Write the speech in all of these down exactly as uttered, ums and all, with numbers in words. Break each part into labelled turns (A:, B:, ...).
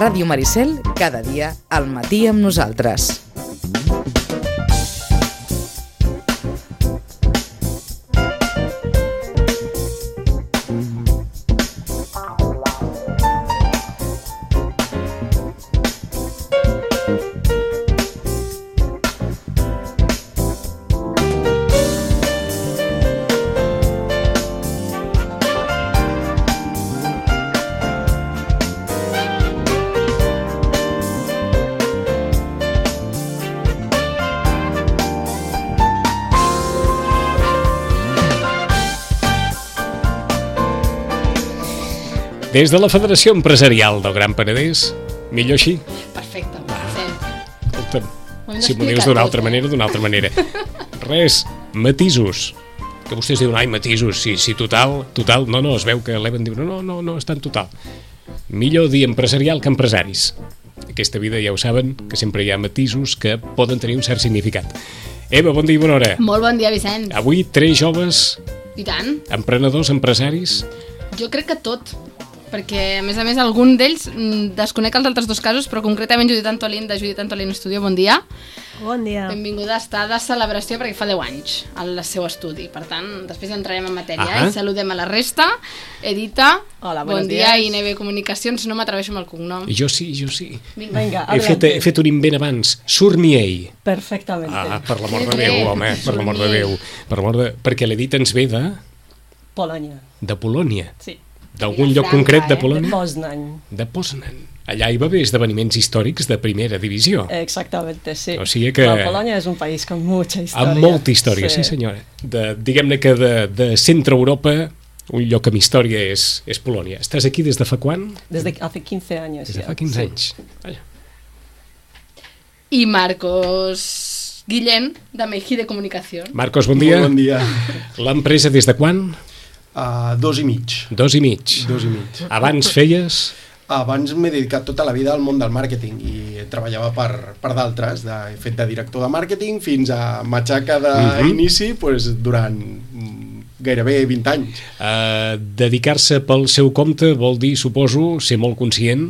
A: Ràdio Maricel, cada dia al matí amb nosaltres.
B: Des de la Federació Empresarial del Gran Penedès, millor així?
C: Perfecte,
B: Escolta'm, si m'ho dius d'una altra manera, d'una altra manera. Res, matisos. Que vostès diuen, ai, matisos, sí, sí, total, total. No, no, es veu que l'Evan diu, no, no, no, està en total. Millor dir empresarial que empresaris. Aquesta vida ja ho saben, que sempre hi ha matisos que poden tenir un cert significat. Eva, bon dia i bona hora.
C: Molt bon dia, Vicenç.
B: Avui tres joves...
C: I tant.
B: Emprenedors, empresaris...
C: Jo crec que tot, perquè a més a més algun d'ells desconec els altres dos casos, però concretament Judit Antolín de Judit Antolín Studio, bon dia.
D: Bon dia.
C: Benvinguda, està de celebració perquè fa deu anys al seu estudi, per tant després entrarem en matèria.
B: Ah,
C: i saludem a la resta. Edita,
D: hola,
C: bon dia, i Neve Comunicacions, no m'atreveixo amb el cognom.
B: Jo sí, jo sí.
C: Vinga,
D: Vinga,
B: he, fet, he fet un invent abans, Surnier.
D: Perfectament.
B: Ah, per l'amor de Déu, home, per l'amor de Déu. Per l'amor de... Perquè l'Edita ens ve de...
D: Polònia.
B: De Polònia.
D: Sí.
B: D'algun
C: De
B: lloc
C: Franca,
B: concret de
C: eh?
B: Polònia?
D: De Poznan.
B: De Poznan. Allà hi va haver esdeveniments històrics de primera divisió.
D: Exactamente, sí.
B: O sigui que...
D: La Polònia és un país con mucha història.
B: Amb molta història, sí, sí senyora. De, diguem-ne que de, de centre-Europa, un lloc amb història és, és Polònia. Estàs aquí des de fa quan?
D: Desde hace quince años.
B: Des de
D: ya.
B: fa quinze
D: Sí.
B: anys. Vaja.
C: I Marcos Guillén, de Mejide Comunicació.
B: Marcos, bon dia.
E: Molt bon dia.
B: L'empresa des de quan?
E: Uh, dos i mig.
B: Dos i mig.
E: Dos i mig.
B: Abans feies...
E: Abans m'he dedicat tota la vida al món del màrqueting i treballava per, per d'altres. De, he fet de director de màrqueting fins a matxaca d'inici uh -huh. pues, durant gairebé vint anys.
B: Uh, dedicar-se pel seu compte vol dir, suposo, ser molt conscient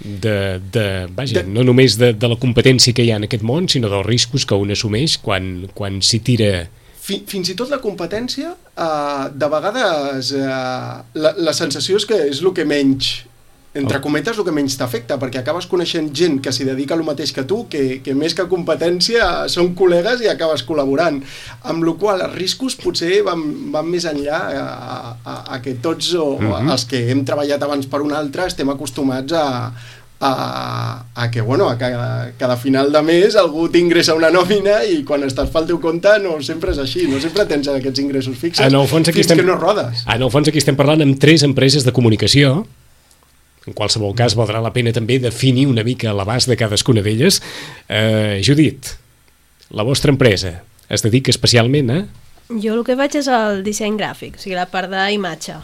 B: de, de, vaja, de... no només de, de la competència que hi ha en aquest món, sinó dels riscos que un assumeix quan, quan s'hi tira...
E: Fins i tot la competència, uh, de vegades uh, la, la sensació és que és el que menys, entre cometes, el que menys t'afecta, perquè acabes coneixent gent que s'hi dedica el mateix que tu, que, que més que competència són col·legues i acabes col·laborant. Amb la qual cosa els riscos potser van, van més enllà a, a, a que tots o, uh-huh. els que hem treballat abans per un altre estem acostumats a A, a que, bueno, a cada, cada final de mes algú t'ingressa una nòmina i quan estàs pel teu compte no sempre és així, no sempre tens aquests ingressos fixes
B: en el fons aquí
E: fins
B: estem,
E: que no rodes.
B: En el fons aquí estem parlant amb tres empreses de comunicació. En qualsevol cas valdrà la pena també definir una mica l'abast de cadascuna d'elles. eh, Judit, la vostra empresa es dedica especialment a...
D: Jo el que faig és el disseny gràfic, o sigui, la part d'imatge,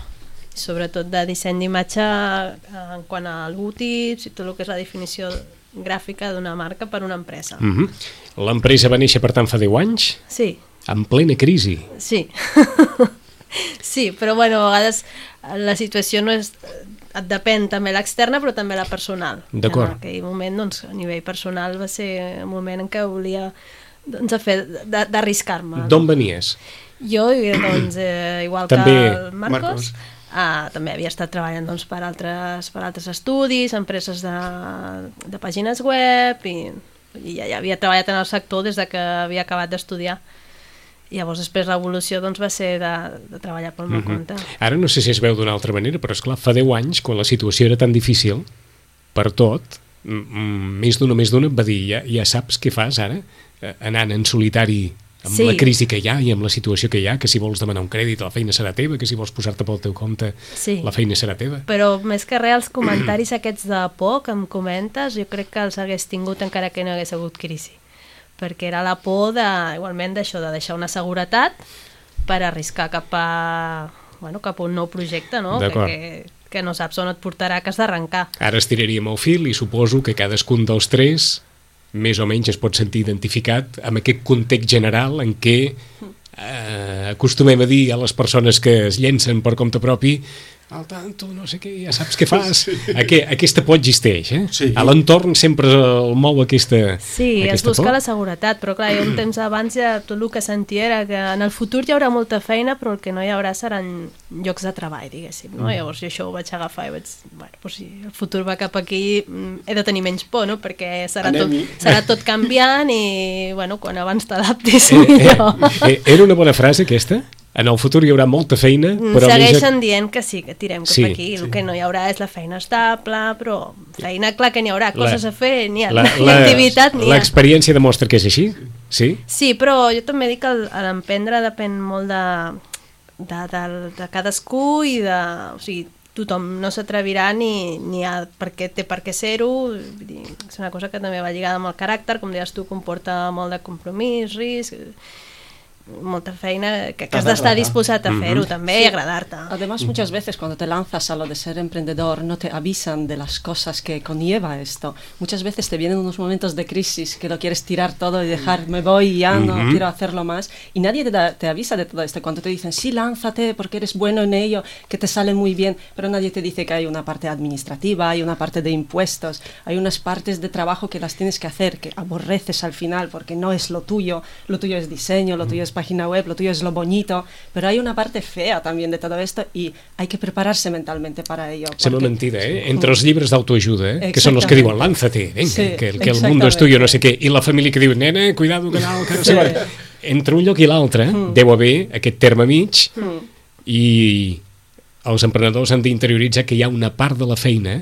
D: sobretot de disseny d'imatge en quant a logotips i tot el que és la definició gràfica d'una marca per una empresa.
B: Uh-huh. L'empresa va néixer, per tant, fa deu anys?
D: Sí.
B: En plena crisi?
D: Sí. Sí, però bueno, a vegades la situació no és... et depèn també l'externa però també la personal.
B: D'acord.
D: En aquell moment, doncs, a nivell personal va ser un moment en què volia doncs, a fer d'arriscar-me.
B: D'on venies?
D: Jo, doncs, eh, igual
B: també...
D: que el Marcos,
E: Marcos.
D: Ah, també havia estat treballant doncs, per, altres, per altres estudis, empreses de, de pàgines web i, i ja, ja havia treballat en el sector des de que havia acabat d'estudiar. I llavors després l'evolució doncs, va ser de, de treballar pel meu
B: uh-huh.
D: compte.
B: Ara no sé si es veu d'una altra manera, però esclar, fa deu anys, quan la situació era tan difícil per tot, m- més d'una més d'una va dir, ja, ja saps què fas ara, eh, anant en solitari amb
D: Sí.
B: la crisi que hi ha i amb la situació que hi ha, que si vols demanar un crèdit la feina serà teva, que si vols posar-te pel teu compte
D: Sí.
B: la feina serà teva.
D: Però més que res, els comentaris aquests de por que em comentes, jo crec que els hagués tingut encara que no hagués hagut crisi. Perquè era la por de, igualment d'això, de deixar una seguretat per arriscar cap a, bueno, cap a un nou projecte, no? Que, que, que no saps on et portarà, que has d'arrencar.
B: Ara estiraríem el fil i suposo que cadascun dels tres més o menys es pot sentir identificat amb aquest context general en què eh, acostumem a dir a les persones que es llencen per compte propi al tanto, no sé què, ja saps què fas. Sí. Aqu aquesta por existeix, eh?
E: Sí.
B: A l'entorn sempre el mou aquesta
D: Sí,
B: aquesta
D: es busca
B: por.
D: la seguretat, però clar, jo un temps abans ja tot el que sentia era que en el futur hi haurà molta feina, però el que no hi haurà seran llocs de treball, diguéssim, no? Mm. Llavors jo això ho vaig agafar i vaig, bueno, doncs si el futur va cap aquí, he de tenir menys por, no? Perquè serà, tot, serà tot canviant i, bueno, quan abans t'adaptis,
B: eh,
D: millor.
B: Eh, eh, era una bona frase, aquesta? En el futur hi haurà molta feina, però...
D: Segueixen més... dient que sí, que tirem cap
B: sí,
D: aquí. El
B: sí.
D: que no hi haurà és la feina estable, però feina, clar que n'hi haurà, coses
B: la,
D: a fer, n'hi ha,
B: la,
D: la, la, activitat n'hi ha.
B: L'experiència demostra que és així? Sí?
D: Sí, però jo també dic que l'emprendre depèn molt de, de, de, de cadascú i de... O sigui, tothom no s'atrevirà ni, ni a per què té per què ser-ho. És una cosa que també va lligada amb el caràcter, com deies tu, comporta molt de compromís, risc... molta feina que, que has d'estar disposat a fer-ho, mm-hmm. també, sí. Y agradarte.
F: Además, muchas veces cuando te lanzas a lo de ser emprendedor, no te avisan de las cosas que conlleva esto. Muchas veces te vienen unos momentos de crisis que lo quieres tirar todo y dejar, me voy y ya no mm-hmm. quiero hacerlo más. Y nadie te, da, te avisa de todo esto. Cuando te dicen, sí, lánzate porque eres bueno en ello, que te sale muy bien, pero nadie te dice que hay una parte administrativa, hay una parte de impuestos, hay unas partes de trabajo que las tienes que hacer, que aborreces al final porque no es lo tuyo, lo tuyo es diseño, lo tuyo es página web, lo tuyo es lo bonito, pero hay una parte fea también de todo esto y hay que prepararse mentalmente para ello.
B: Sembla porque... mentida, eh? Entre els llibres d'autoajuda, eh? Que són els que diuen, lánzate, venga, sí, que, que el mundo és tuyo, no sé què, i la família que diu, nena, cuidado, que no, que no sé sí. Entre un lloc i l'altre mm. deu haver aquest terme mig mm. i els emprenedors han d'interioritzar que hi ha una part de la feina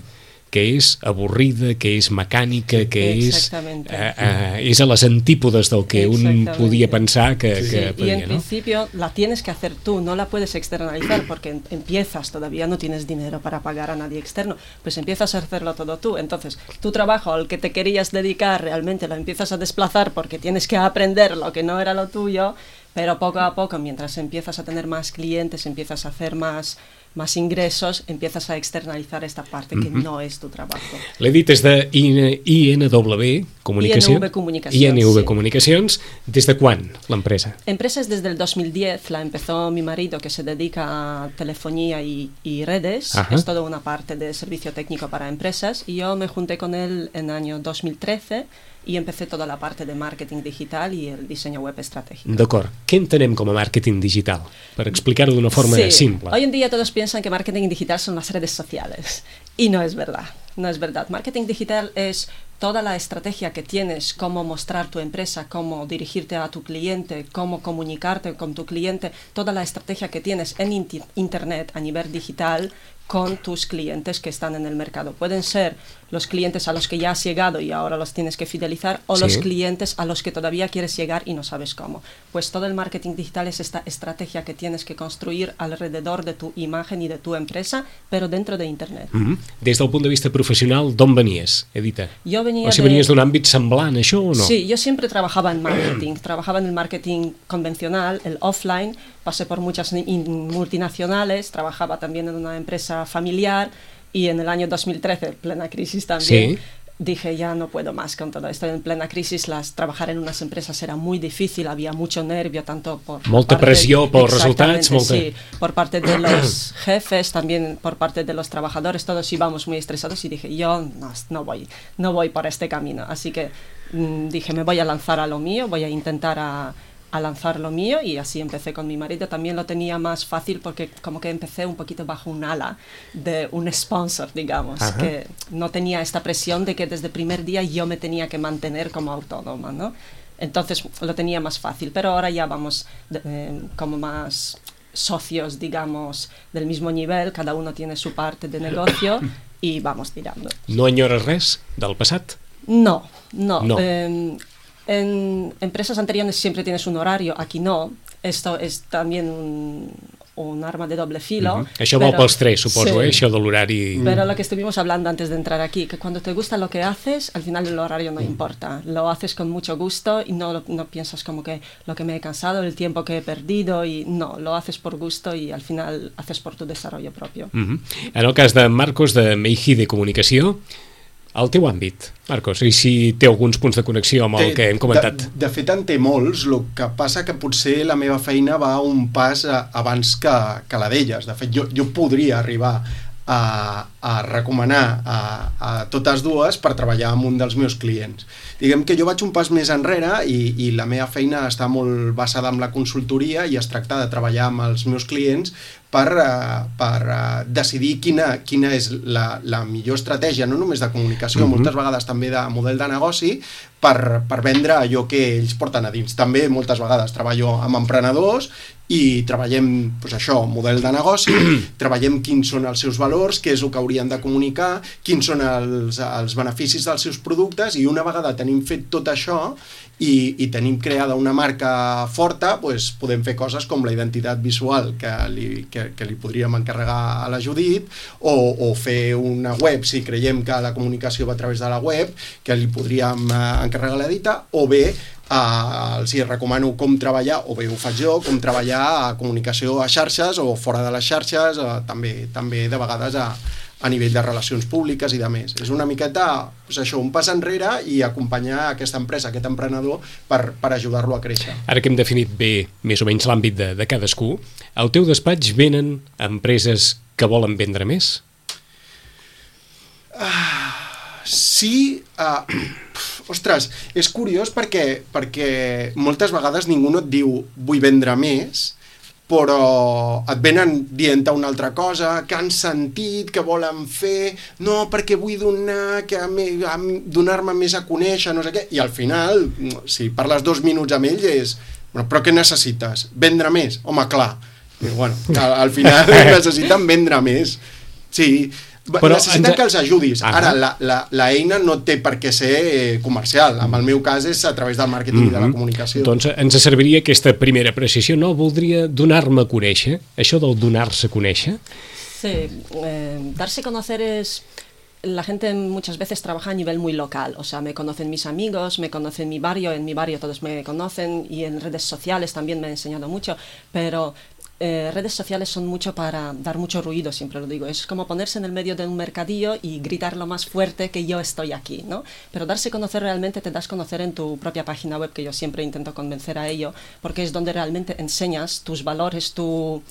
B: que és avorrida, que és mecànica, que és, eh, eh, és a les antípodes del que un podia pensar que,
F: sí,
B: que
F: sí.
B: podia,
F: y en
B: ¿no?
F: principio la tienes que hacer tú, no la puedes externalizar porque empiezas, todavía no tienes dinero para pagar a nadie externo, pues empiezas a hacerlo todo tú. Entonces tu trabajo al que te querías dedicar realmente lo empiezas a desplazar porque tienes que aprender lo que no era lo tuyo, pero poco a poco, mientras empiezas a tener más clientes, empiezas a hacer más más ingressos, empiezas a externalizar esta parte que mm-hmm. no es tu trabajo.
B: L'he dit des de I N W Comunicació.
F: I N V Comunicacions.
B: I N V
F: sí.
B: Comunicacions. ¿Des de quan l'empresa?
F: Empresa es desde el dos mil diez, la empezó mi marido que se dedica a telefonía y, y redes, Ajá. es toda una parte de servicio técnico para empresas y yo me junté con él en el año dos mil trece i empecé toda la parte de marketing digital i el diseño web estratégico.
B: D'acord. Què entenem com a màrqueting digital? Per explicar-ho d'una forma
F: sí.
B: simple.
F: Hoy en día todos piensan que marketing digital son las redes sociales y no es verdad. No es verdad. Marketing digital es toda la estrategia que tienes, cómo mostrar tu empresa, cómo dirigirte a tu cliente, cómo comunicarte con tu cliente, toda la estrategia que tienes en inti- internet a nivel digital con tus clientes que están en el mercado. Pueden ser los clientes a los que ya has llegado y ahora los tienes que fidelizar o sí. los clientes a los que todavía quieres llegar y no sabes cómo. Pues todo el marketing digital es esta estrategia que tienes que construir alrededor de tu imagen y de tu empresa, pero dentro de internet.
B: Mm-hmm. Des del punt de vista professional, d'on venies, Edita?
F: Jo venia
B: o si venies de... d'un àmbit semblant a això o no?
F: Sí, yo siempre trabajaba en marketing. Trabajaba en el marketing convencional, el offline, pasé por muchas multinacionales, trabajaba también en una empresa familiar y en el año dos mil trece, plena crisis también, sí. dije ya no puedo más con todo esto. En plena crisis las, trabajar en unas empresas era muy difícil, había mucho nervio, tanto por...
B: Molta
F: parte,
B: pressió por resultats. Molta...
F: Sí, por parte de los jefes, también por parte de los trabajadores, todos íbamos muy estresados y dije yo no, no, voy, no voy por este camino. Así que mmm, dije me voy a lanzar a lo mío, voy a intentar a... a lanzar lo mío y así empecé con mi marido. También lo tenía más fácil porque como que empecé un poquito bajo un ala de un sponsor, digamos, Ajá. que no tenía esta presión de que desde el primer día yo me tenía que mantener como autónoma, ¿no? Entonces lo tenía más fácil, pero ahora ya vamos de, eh, como más socios, digamos, del mismo nivel, cada uno tiene su parte de negocio y vamos tirando.
B: No enyores res del passat?
F: No, no.
B: no.
F: Eh, En empresas anteriores siempre tienes un horario, aquí no. Esto es también un, un arma de doble filo.
B: Uh-huh. Això va pels tres, suposo, sí. eh? Això de l'horari...
F: Pero lo que estuvimos hablando antes de entrar aquí, que cuando te gusta lo que haces, al final el horario no importa. Lo haces con mucho gusto y no, no piensas como que lo que me he cansado, el tiempo que he perdido, y no, lo haces por gusto y al final haces por tu desarrollo propio.
B: Uh-huh. En el cas de Marcos, de Meiji de Comunicació, el teu àmbit, Marcos, i si té alguns punts de connexió amb el
E: té,
B: que hem comentat.
E: De, de fet en té molts, el que passa que potser la meva feina va un pas a, abans que, que la d'elles. De fet, jo, jo podria arribar a, a recomanar a, a totes dues per treballar amb un dels meus clients. Diguem que jo vaig un pas més enrere i, i la meva feina està molt basada en la consultoria i es tracta de treballar amb els meus clients per, uh, per uh, decidir quina, quina és la, la millor estratègia, no només de comunicació, mm-hmm. moltes vegades també de model de negoci, per, per vendre allò que ells porten a dins. També moltes vegades treballo amb emprenedors i treballem doncs això, model de negoci, treballem quins són els seus valors, què és el que haurien de comunicar, quins són els, els beneficis dels seus productes, i una vegada tenim fet tot això i, i tenim creada una marca forta, doncs podem fer coses com la identitat visual que li, que, que li podríem encarregar a la Judit, o, o fer una web, si creiem que la comunicació va a través de la web, que li podríem encarregar a l'Edita, o bé Uh, els hi recomano com treballar, o bé ho faig jo, com treballar a comunicació a xarxes o fora de les xarxes, uh, també, també de vegades a, a nivell de relacions públiques i de més. És una miqueta doncs això, un pas enrere i acompanyar aquesta empresa, aquest emprenedor, per, per ajudar-lo a créixer.
B: Ara que hem definit bé més o menys l'àmbit de, de cadascú, al teu despatx venen empreses que volen vendre més?
E: Uh, sí... Uh, Ostres, és curiós perquè, perquè moltes vegades ningú no et diu vull vendre més, però et venen dient una altra cosa, que han sentit, que volen fer, no, perquè vull donar, que donar-me més a conèixer, no sé què, i al final, si parles dos minuts amb ell, és, bueno, però què necessites? Vendre més? Home, clar. I, bueno, al, al final necessiten vendre més. Sí, però necessiten ens... que els ajudis. Ah, ara, la, la, la eina no té per què ser comercial. En el meu cas és a través del màrqueting mm-hmm. i de la comunicació.
B: Doncs ens serviria aquesta primera precisió. No, voldria donar-me a conèixer. Això del donar-se a conèixer.
F: Sí, eh, darse a conocer es... La gente muchas veces trabaja a nivel muy local, o sea, me conocen mis amigos, me conocen mi barrio, en mi barrio todos me conocen, y en redes sociales también me han enseñado mucho, pero... Eh, redes sociales son mucho para dar mucho ruido, siempre lo digo. Es como ponerse en el medio de un mercadillo y gritar lo más fuerte que yo estoy aquí, ¿no? Pero darse a conocer realmente te das a conocer en tu propia página web, que yo siempre intento convencer a ello, porque es donde realmente enseñas tus valores, tu,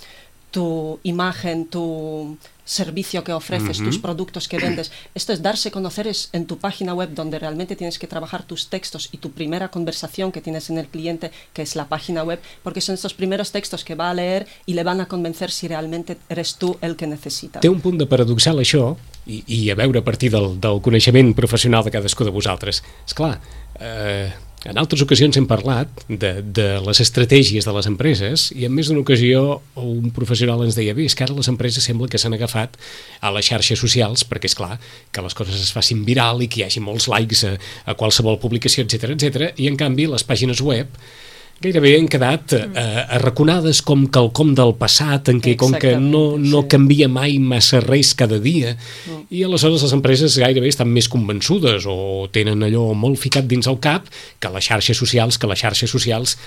F: tu imagen, tu servicio que ofreces, uh-huh. tus productos que vendes. Esto es darse a conocer, es en tu página web donde realmente tienes que trabajar tus textos y tu primera conversación que tienes en el cliente, que es la página web, porque son estos primeros textos que va a leer y le van a convencer si realmente eres tú el que necesita.
B: Té un punt de paradoxal això, i, i a veure a partir del, del coneixement professional de cadascú de vosaltres. Esclar, eh, en altres ocasions hem parlat de, de les estratègies de les empreses, i en més d'una ocasió un professional ens deia, bé, és que ara les empreses sembla que s'han agafat a les xarxes socials, perquè és clar que les coses es facin viral i que hi hagi molts likes a, a qualsevol publicació, etcètera, etcètera, i en canvi les pàgines web gairebé han quedat eh, arraconades com quelcom del passat, en què com que no, no sí. canvia mai massa res cada dia, mm. i aleshores les empreses gairebé estan més convençudes o tenen allò molt ficat dins el cap que les xarxes socials, que les xarxes socials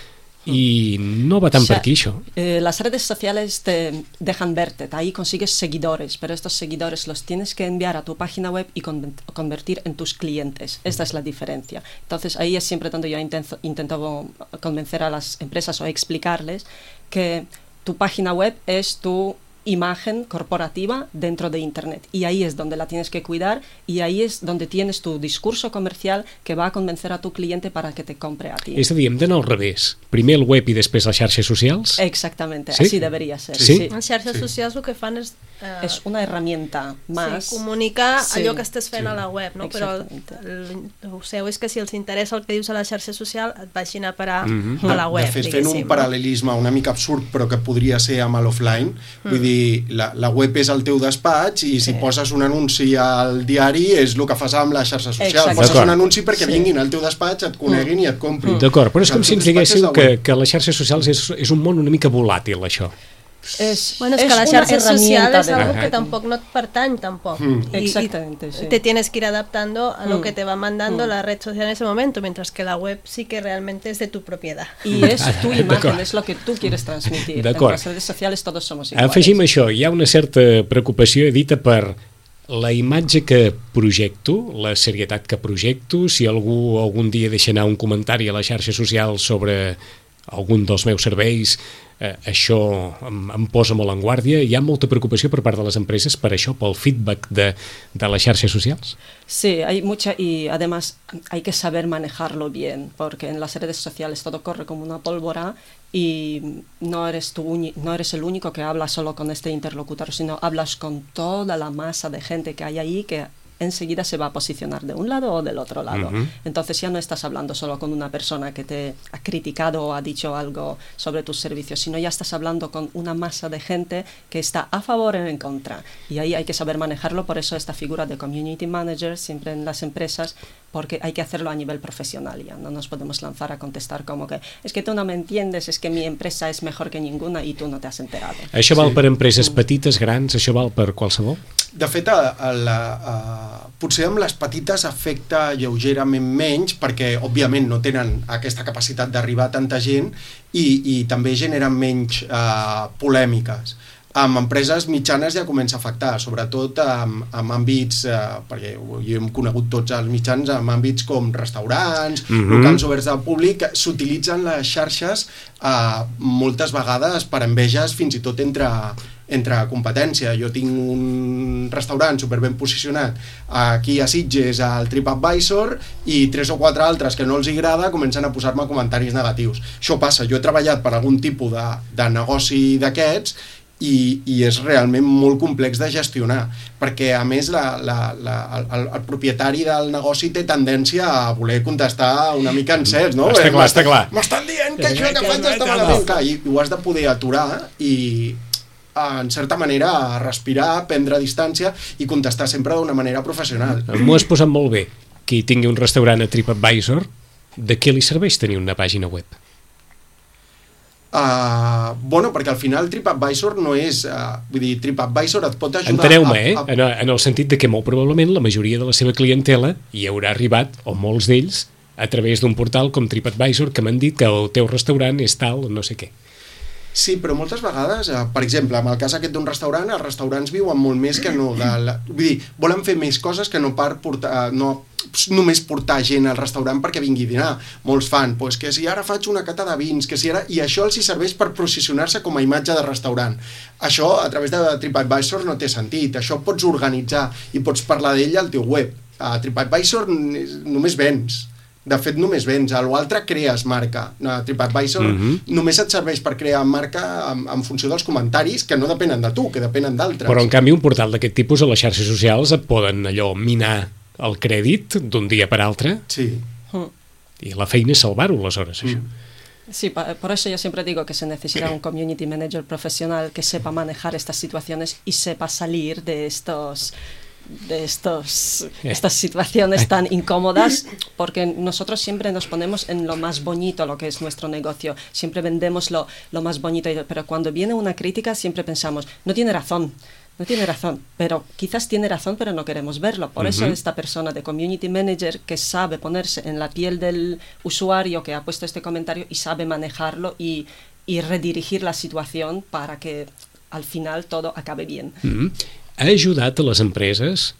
B: y no va tan o sea, por aquí eso.
F: Eh, las redes sociales te dejan verte, ahí consigues seguidores, pero estos seguidores los tienes que enviar a tu página web y con, convertir en tus clientes. Esta es la diferencia. Entonces ahí es siempre donde yo intento, intento convencer a las empresas o explicarles que tu página web es tu imagen corporativa dentro de Internet, y ahí es donde la tienes que cuidar, y ahí es donde tienes tu discurso comercial que va a convencer a tu cliente para que te compre a ti.
B: És a dir, hem d'anar al revés, primer el web i després les xarxes socials?
F: Exactamente,
B: ¿Sí?
F: Así debería ser.
B: Sí?
F: Sí.
D: Les xarxes
E: Sí.
D: socials el que fan és eh,
F: es una herramienta más.
D: Sí, comunicar
F: Sí.
D: allò que estàs fent
B: Sí.
D: a la web, no? Però el, el, el seu és que si els interessa el que dius a la xarxa social et vagin a parar
B: Mm-hmm.
D: a la web,
E: de fet, fent un
D: diguéssim,
E: paral·lelisme una mica absurd, però que podria ser amb l'offline, mm. vull dir, la, la web és el teu despatx, i si
F: Sí.
E: poses un anunci al diari és el que fas amb la xarxa social.
F: Exacte.
E: Poses
B: D'acord.
E: un anunci perquè
F: Sí.
E: vinguin al teu despatx, et coneguin mm. i et comprin.
B: D'acord, però és com si ens diguéssiu que,
E: web.
B: que les xarxes socials és, és un món una mica volàtil, això.
F: Es,
D: Bueno, es,
F: es
D: que la
F: una
D: xarxa social
F: herramienta
D: es algo
B: de-
D: que tampoco no te pertany tampoco.
E: Mm.
D: Y- y
F: Exactamente, sí.
D: te tienes que ir adaptando a lo
F: Mm.
D: que te va mandando
F: Mm.
D: la red social en ese momento, mientras que la web sí que realmente es de tu propiedad.
F: Y es tu
B: D'acord.
F: imagen, es lo que tú quieres transmitir. En
B: D'acord.
F: las redes sociales todos somos iguales.
B: Afegim això, hi ha una certa preocupació, Edita, per la imatge que projecto, la serietat que projecto, si algú algun dia deixa anar un comentari a la xarxa social sobre algun dels meus serveis, eh, això em, em posa molt en guàrdia. Hi ha molta preocupació per part de les empreses per això, pel feedback de, de les xarxes socials?
F: Sí, hay mucha y además hay que saber manejarlo bien, porque en las redes sociales todo corre como una pólvora y no eres tú, no eres el único que habla solo con este interlocutor, sino hablas con toda la masa de gente que hay ahí que enseguida se va a posicionar de un lado o del otro lado. Uh-huh. Entonces ya no estás hablando solo con una persona que te ha criticado o ha dicho algo sobre tus servicios, sino ya estás hablando con una masa de gente que está a favor o en contra. Y ahí hay que saber manejarlo, por eso esta figura de community manager siempre en las empresas, porque hay que hacerlo a nivel profesional ya. No nos podemos lanzar a contestar como que es que tú no me entiendes, es que mi empresa es mejor que ninguna i tu no t'has enterado.
B: Això val sí. per empreses petites, grans, això val per qualsevol?
E: De fet, a, a la, a, potser amb les petites afecta lleugerament menys perquè, òbviament, no tenen aquesta capacitat d'arribar a tanta gent i, i també generen menys uh, polèmiques. Amb empreses mitjanes ja comença a afectar, sobretot amb, amb àmbits, eh, perquè jo hem conegut tots els mitjans, amb àmbits com restaurants, mm-hmm. locals oberts al públic, s'utilitzen les xarxes eh, moltes vegades per enveges fins i tot entre, entre competència. Jo tinc un restaurant superben posicionat aquí a Sitges, al TripAdvisor, i tres o quatre altres que no els agrada comencen a posar-me comentaris negatius. Això passa, jo he treballat per algun tipus de, de negoci d'aquests I, i és realment molt complex de gestionar, perquè a més la, la, la, el, el propietari del negoci té tendència a voler contestar una mica en cels, no?
B: Està clar, està clar.
E: M'estan dient que això que faig està malament. Clar, i ho has de poder aturar i en certa manera respirar, prendre distància i contestar sempre d'una manera professional.
B: M'ho has posat molt bé. Qui tingui un restaurant a TripAdvisor, de què li serveix tenir una pàgina web?
E: Uh, bueno, perquè al final TripAdvisor no és... Uh, vull dir, TripAdvisor et pot ajudar...
B: Enteneu-me, eh? A, a... En el sentit de que molt probablement la majoria de la seva clientela hi haurà arribat, o molts d'ells, a través d'un portal com TripAdvisor que m'han dit que el teu restaurant és tal, no sé què.
E: Sí, però moltes vegades, eh, per exemple, en el cas aquest d'un restaurant, els restaurants viuen molt més que no... De la, vull dir, volen fer més coses que no per portar... No, només portar gent al restaurant perquè vingui a dinar. Molts fan, pues, que si ara faig una cata de vins, que si ara... I això els hi serveix per posicionar-se com a imatge de restaurant. Això, a través de TripAdvisor, no té sentit. Això pots organitzar i pots parlar d'ell al teu web. A TripAdvisor només vens. De fet, només vens. A l'altre crees marca. A TripAdvisor mm-hmm. només et serveix per crear marca en, en funció dels comentaris que no depenen de tu, que depenen d'altres.
B: Però, en canvi, un portal d'aquest tipus a les xarxes socials et poden allò minar el crèdit d'un dia per altre.
E: Sí.
B: I la feina és salvar-ho, aleshores, això.
F: Mm. Sí, por eso yo siempre digo que se necesita un community manager profesional que sepa manejar estas situaciones y sepa salir de estos... de estos, estas situaciones tan incómodas, porque nosotros siempre nos ponemos en lo más bonito lo que es nuestro negocio, siempre vendemos lo, lo más bonito, pero cuando viene una crítica siempre pensamos, no tiene razón, no tiene razón, pero quizás tiene razón pero no queremos verlo, por uh-huh. eso esta persona de community manager que sabe ponerse en la piel del usuario que ha puesto este comentario y sabe manejarlo y, y redirigir la situación para que al final todo acabe bien.
B: Uh-huh. Ha ajudat a les empreses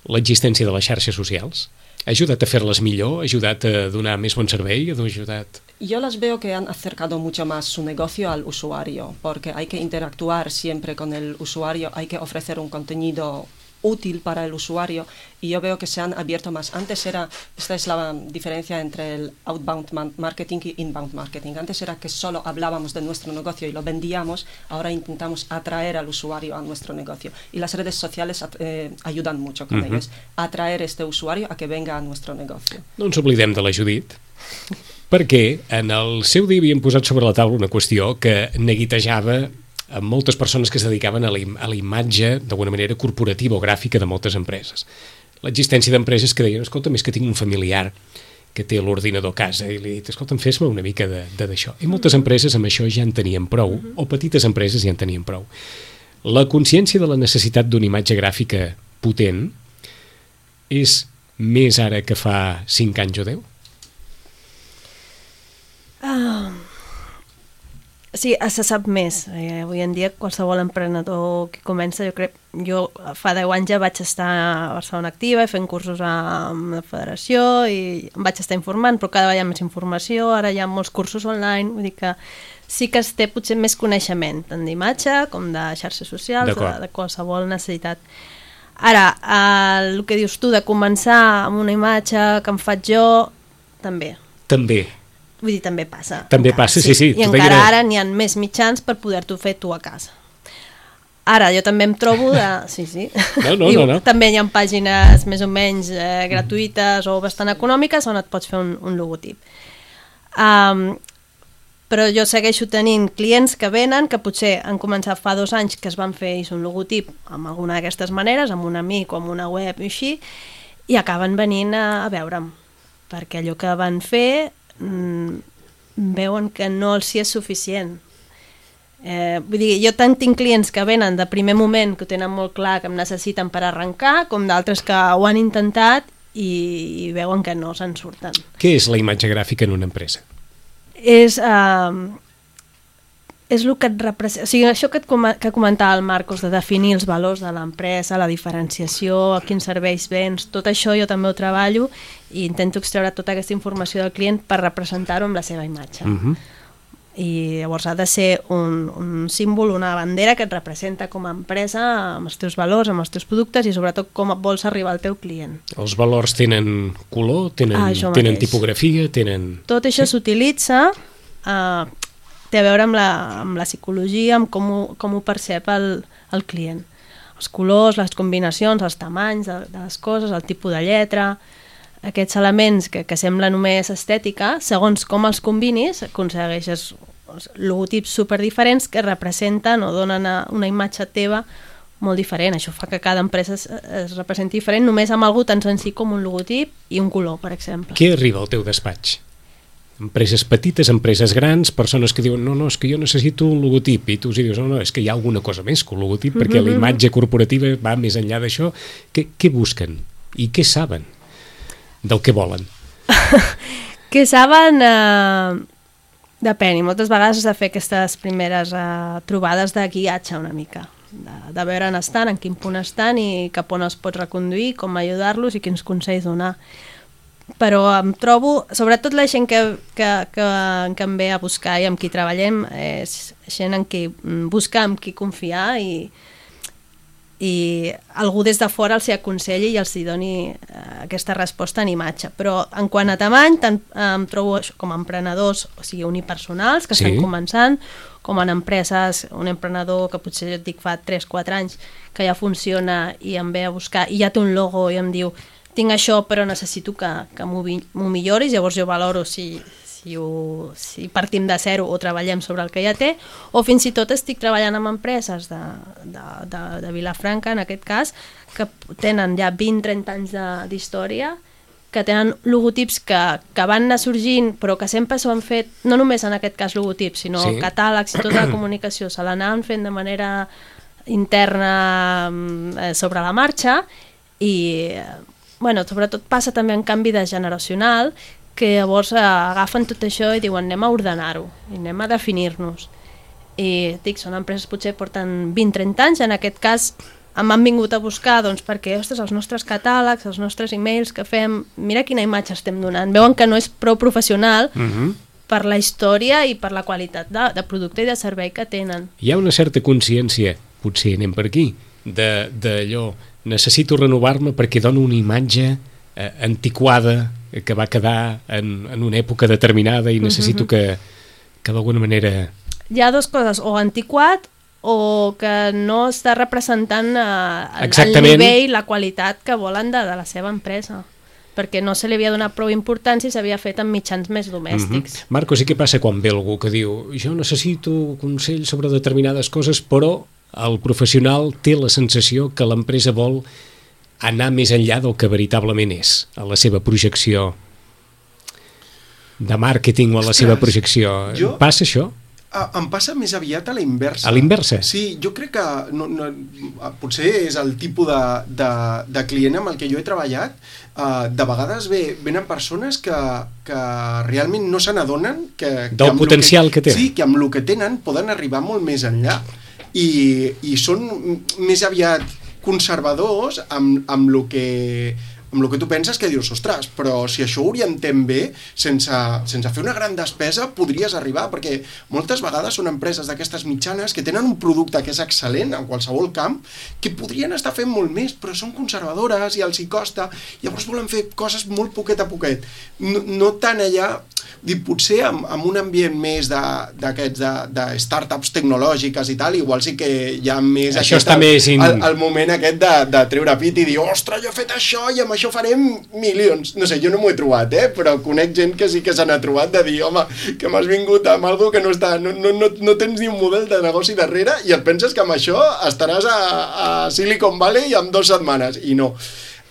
B: l'existència de les xarxes socials? Ha ajudat a fer-les millor? Ha ajudat a donar més bon servei? Ha ajudat...
F: Yo las veo que han acercado mucho más su negocio al usuario, porque hay que interactuar siempre con el usuario, hay que ofrecer un contenido útil para el usuario y yo veo que se han abierto más. Antes era, esta es la diferencia entre el outbound marketing y inbound marketing. Antes era que solo hablábamos de nuestro negocio y lo vendíamos, ahora intentamos atraer al usuario a nuestro negocio. Y las redes sociales eh, ayudan mucho con uh-huh. ellos, atraer este usuario a que venga a nuestro negocio.
B: No ens oblidem de la Judit, perquè en el seu dia havien posat sobre la taula una qüestió que neguitejava amb moltes persones que es dedicaven a la, a la imatge d'alguna manera corporativa o gràfica de moltes empreses. L'existència d'empreses que deien, escolta'm, és que tinc un familiar que té l'ordinador a casa i li he dit, escolta'm, fes-me una mica d'això. I moltes empreses amb això ja en tenien prou, o petites empreses ja en tenien prou. La consciència de la necessitat d'una imatge gràfica potent és més ara que fa cinc anys o deu?
D: Ah... Sí, se sap més. Eh, avui en dia qualsevol emprenedor que comença, jo crec, jo fa deu anys ja vaig estar a Barcelona Activa i fent cursos amb la federació i em vaig estar informant, però cada vegada hi ha més informació, ara hi ha molts cursos online, vull dir que sí que es té potser més coneixement, tant d'imatge com de xarxes socials, de, de qualsevol necessitat. Ara, eh, el que dius tu de començar amb una imatge que em faig jo, també.
B: També.
D: Vull dir, també passa.
B: També encara, passa, sí, sí. sí
D: I encara era... ara n'hi ha més mitjans per poder-t'ho fer tu a casa. Ara, jo també em trobo de... Sí, sí.
B: No, no, no, no.
D: També hi ha pàgines més o menys eh, gratuïtes o bastant econòmiques on et pots fer un, un logotip. Um, però jo segueixo tenint clients que venen, que potser han començat fa dos anys que es van fer un logotip amb alguna d'aquestes maneres, amb un amic o amb una web i així, i acaben venint a, a veure'm. Perquè allò que van fer mm, veuen que no els hi és suficient. Eh, vull dir, jo tant tinc clients que venen de primer moment, que ho tenen molt clar, que em necessiten per arrencar, com d'altres que ho han intentat i, i veuen que no se'n surten.
B: Què és la imatge gràfica en una empresa?
D: És... Eh, és el que et representa, o sigui, això que, et com que comentava el Marcos, de definir els valors de l'empresa, la diferenciació, a quins serveis vens, tot això jo també ho treballo i intento extreure tota aquesta informació del client per representar-ho amb la seva imatge. Uh-huh. I llavors ha de ser un, un símbol, una bandera que et representa com a empresa amb els teus valors, amb els teus productes i sobretot com vols arribar al teu client.
B: Els valors tenen color, tenen, ah, tenen tipografia, tenen...
D: Tot això sí? S'utilitza... Eh, té a veure amb la, amb la psicologia, amb com ho, com ho percep el, el client. Els colors, les combinacions, els tamanys de, de les coses, el tipus de lletra, aquests elements que, que sembla només estètica, segons com els combinis, aconsegueixes logotips superdiferents que representen o donen una imatge teva molt diferent. Això fa que cada empresa es, es representi diferent només amb algú tan senzill com un logotip i un color, per exemple.
B: Què arriba al teu despatx? Empreses petites, empreses grans, persones que diuen no, no, és que jo necessito un logotip i tu els dius, no, no, és que hi ha alguna cosa més que un logotip mm-hmm. perquè la imatge corporativa va més enllà d'això. Què, què busquen? I què saben del que volen?
D: Què saben? Eh, depèn, i moltes vegades has de fer aquestes primeres eh, trobades de guiatge una mica, de, de veure on estan, en quin punt estan i cap on els pots reconduir, com ajudar-los i quins consells donar. Però em trobo, sobretot la gent que, que, que, que em ve a buscar i amb qui treballem, és gent en qui busca, amb qui confiar i, i algú des de fora els hi aconselli i els hi doni aquesta resposta en imatge. Però en quant a tamany, tant em trobo com a emprenedors, o sigui, unipersonals, que sí. Estan començant, com en empreses, un emprenedor que potser jo et dic fa tres quatre anys, que ja funciona i em ve a buscar i ja té un logo i em diu tinc això però necessito que, que m'ho milloris, llavors jo valoro si, si, ho, si partim de zero o treballem sobre el que ja té, o fins i tot estic treballant amb empreses de, de, de, de Vilafranca, en aquest cas, que tenen ja vint trenta anys d'història, que tenen logotips que, que van anar sorgint, però que sempre s'ho han fet, no només en aquest cas logotips, sinó sí. Catàlegs i tota la comunicació, se l'anaven fent de manera interna eh, sobre la marxa i... Bueno, sobretot passa també en canvi de generacional, que llavors eh, agafen tot això i diuen anem a ordenar-ho, i anem a definir-nos. I dic, són empreses potser porten vint trenta anys, en aquest cas m'han vingut a buscar doncs, perquè ostres, els nostres catàlegs, els nostres e-mails que fem, mira quina imatge estem donant. Veuen que no és prou professional uh-huh. per la història i per la qualitat de, de producte i de servei que tenen.
B: Hi ha una certa consciència, potser anem per aquí, d'allò... necessito renovar-me perquè dono una imatge eh, antiquada que va quedar en, en una època determinada i necessito uh-huh. que, que d'alguna manera...
D: Hi ha dues coses, o antiquat o que no està representant eh, el nivell, la qualitat que volen de, de la seva empresa, perquè no se li havia donat prou importància i s'havia fet amb mitjans més domèstics.
B: Uh-huh. Marcos, i què passa quan ve algú que diu jo necessito consell sobre determinades coses, però el professional té la sensació que l'empresa vol anar més enllà del que veritablement és, a la seva projecció de màrqueting o a la Ostres, seva projecció. Jo, Passa això?
E: Em passa més aviat a la inversa.
B: A l'inversa?
E: Sí, jo crec que no, no, potser és el tipus de, de, de client amb el que jo he treballat. Uh, de vegades ve, venen persones que, que realment no se n'adonen que,
B: del
E: que
B: potencial que, que tenen.
E: Sí, que amb el que tenen poden arribar molt més enllà. I, i són més aviat conservadors amb, amb el que... amb el que tu penses que dius, ostres, però si això ho orientem bé, sense, sense fer una gran despesa, podries arribar, perquè moltes vegades són empreses d'aquestes mitjanes que tenen un producte que és excel·lent en qualsevol camp, que podrien estar fent molt més, però són conservadores i els hi costa, llavors volen fer coses molt poquet a poquet. No, no tant allà, dir, potser amb, amb un ambient més d'aquests de, de, de startups tecnològiques i tal, igual sí que hi ha més...
B: Això
E: aquest,
B: està
E: el,
B: més... In...
E: El, el moment aquest de, de treure pit i dir, ostres, jo he fet això i amb això farem milions. No sé, jo no m'ho he trobat, eh? Però conec gent que sí que se n'ha trobat de dir, home, que m'has vingut amb algo que no està... No, no, no, no tens ni un model de negoci darrere i et penses que amb això estaràs a, a Silicon Valley en dues setmanes. I no.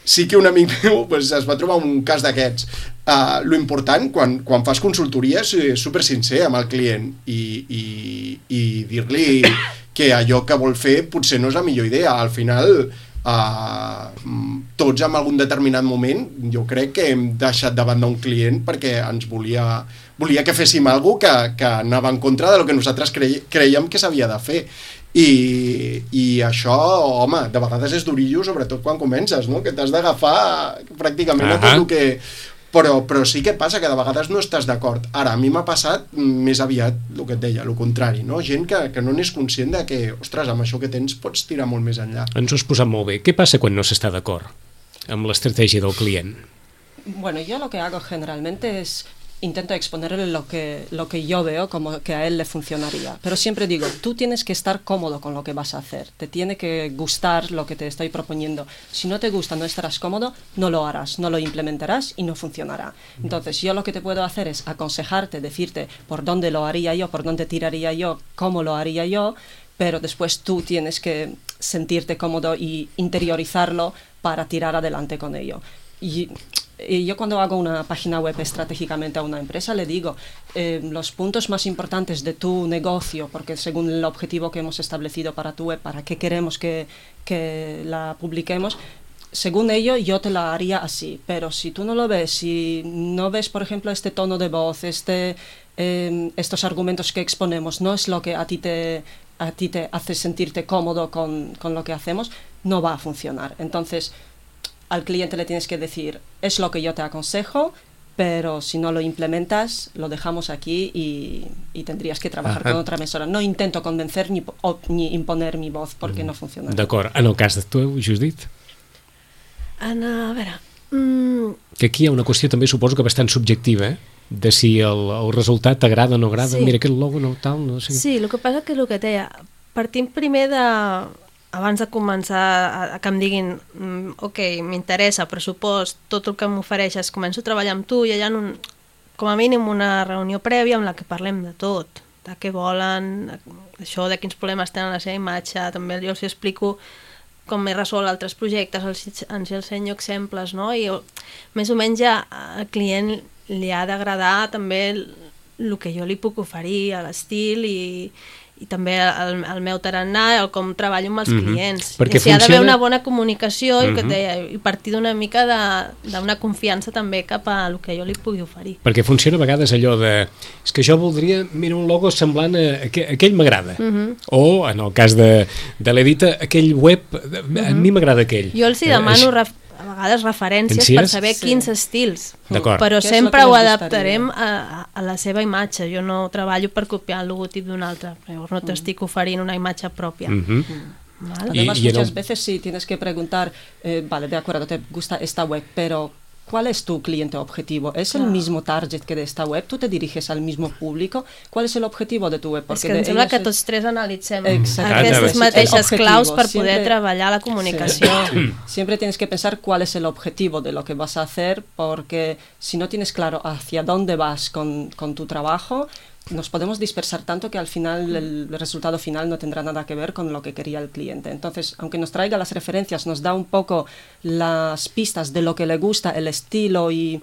E: Sí que un amic meu pues, es va trobar un cas d'aquests. Uh, lo important, quan, quan fas consultoria, és super sincer amb el client i, i, i dir-li que allò que vol fer potser no és la millor idea. Al final... Uh, tots en algun determinat moment jo crec que hem deixat davant d'un client perquè ens volia, volia que féssim alguna cosa que, que anava en contra de lo que nosaltres cre creiem que s'havia de fer i, i això, home, de vegades és durillo, sobretot quan comences, no? Que t'has d'agafar pràcticament uh-huh. a tot el que... Però, però sí que passa que de vegades no estàs d'acord. Ara, a mi m'ha passat més aviat el que et deia, el contrari, no? Gent que, que no n'és conscient de que, ostres, amb això que tens pots tirar molt més enllà.
B: Ens ho has posat molt bé. Què passa quan no s'està d'acord amb l'estratègia del client?
F: Bueno, yo lo que hago generalmente es intento exponerle lo que, lo que yo veo como que a él le funcionaría. Pero siempre digo, tú tienes que estar cómodo con lo que vas a hacer. Te tiene que gustar lo que te estoy proponiendo. Si no te gusta, no estarás cómodo, no lo harás, no lo implementarás y no funcionará. Entonces, yo lo que te puedo hacer es aconsejarte, decirte por dónde lo haría yo, por dónde tiraría yo, cómo lo haría yo, pero después tú tienes que sentirte cómodo y interiorizarlo para tirar adelante con ello. Y... Y yo cuando hago una página web estratégicamente a una empresa le digo eh, los puntos más importantes de tu negocio, porque según el objetivo que hemos establecido para tu web, para qué queremos que, que la publiquemos, según ello yo te la haría así, pero si tú no lo ves, si no ves por ejemplo este tono de voz, este, eh, estos argumentos que exponemos, no es lo que a ti te, a ti te hace sentirte cómodo con, con lo que hacemos, no va a funcionar. Entonces al cliente le tienes que decir, es lo que yo te aconsejo, pero si no lo implementas, lo dejamos aquí y, y tendrías que trabajar Ajá. con otra emisora. No intento convencer ni, o, ni imponer mi voz perquè mm. no funciona.
B: D'acord. En el cas de tu, Judit?
D: En, a veure... Mm...
B: Que aquí hi ha una qüestió també, suposo que bastant subjectiva, eh? De si el, el resultat t'agrada o no agrada. Sí. Mira, aquest logo no tal, no sé.
D: Sí, el que passa que el que et deia, partim primer de... abans de començar a, a que em diguin ok, m'interessa, pressupost, tot el que m'ofereixes, començo a treballar amb tu i hi ha un, com a mínim una reunió prèvia en la que parlem de tot, de què volen, això, de quins problemes tenen la seva imatge, també jo els explico com he resolt altres projectes, els, ens ensenyo exemples, no? I més o menys ja al client li ha d'agradar també el, el que jo li puc oferir, l'estil i i també el, el meu tarannà, el com treballo amb els mm-hmm. clients.
B: Perquè
D: I si funciona... ha d'haver una bona comunicació mm-hmm. i, que deia, i partir d'una mica d'una confiança també cap a el que jo li pugui oferir.
B: Perquè funciona a vegades allò de és que jo voldria, mira, un logo semblant a, a, a aquell m'agrada. Mm-hmm. O, en el cas de, de l'Edita, aquell web, mm-hmm. a mi m'agrada aquell.
D: Jo els hi demano eh, a vegades referències Pensies? per saber sí. quins estils, però
F: Què
D: sempre ho adaptarem a, a la seva imatge. Jo no treballo per copiar el logotip d'un altre, però no t'estic oferint una imatge pròpia.
B: Mm-hmm.
F: Mm. ¿Vale? Además, y, y muchas el... veces sí tienes que preguntar, eh, vale, de acuerdo, te gusta esta web, pero ¿cuál es tu cliente objetivo? ¿Es claro. el mismo target que de esta web? ¿Tú te diriges al mismo público? ¿Cuál es el objetivo de tu web?
D: Porque és que em sembla que tots tres analitzem aquestes mateixes claus per poder siempre, treballar la comunicació.
F: Sí. Siempre tienes que pensar cuál es el objetivo de lo que vas a hacer, porque si no tienes claro hacia dónde vas con, con tu trabajo, nos podemos dispersar tanto que al final el resultado final no tendrá nada que ver con lo que quería el cliente. Entonces, aunque nos traiga las referencias, nos da un poco las pistas de lo que le gusta, el estilo y,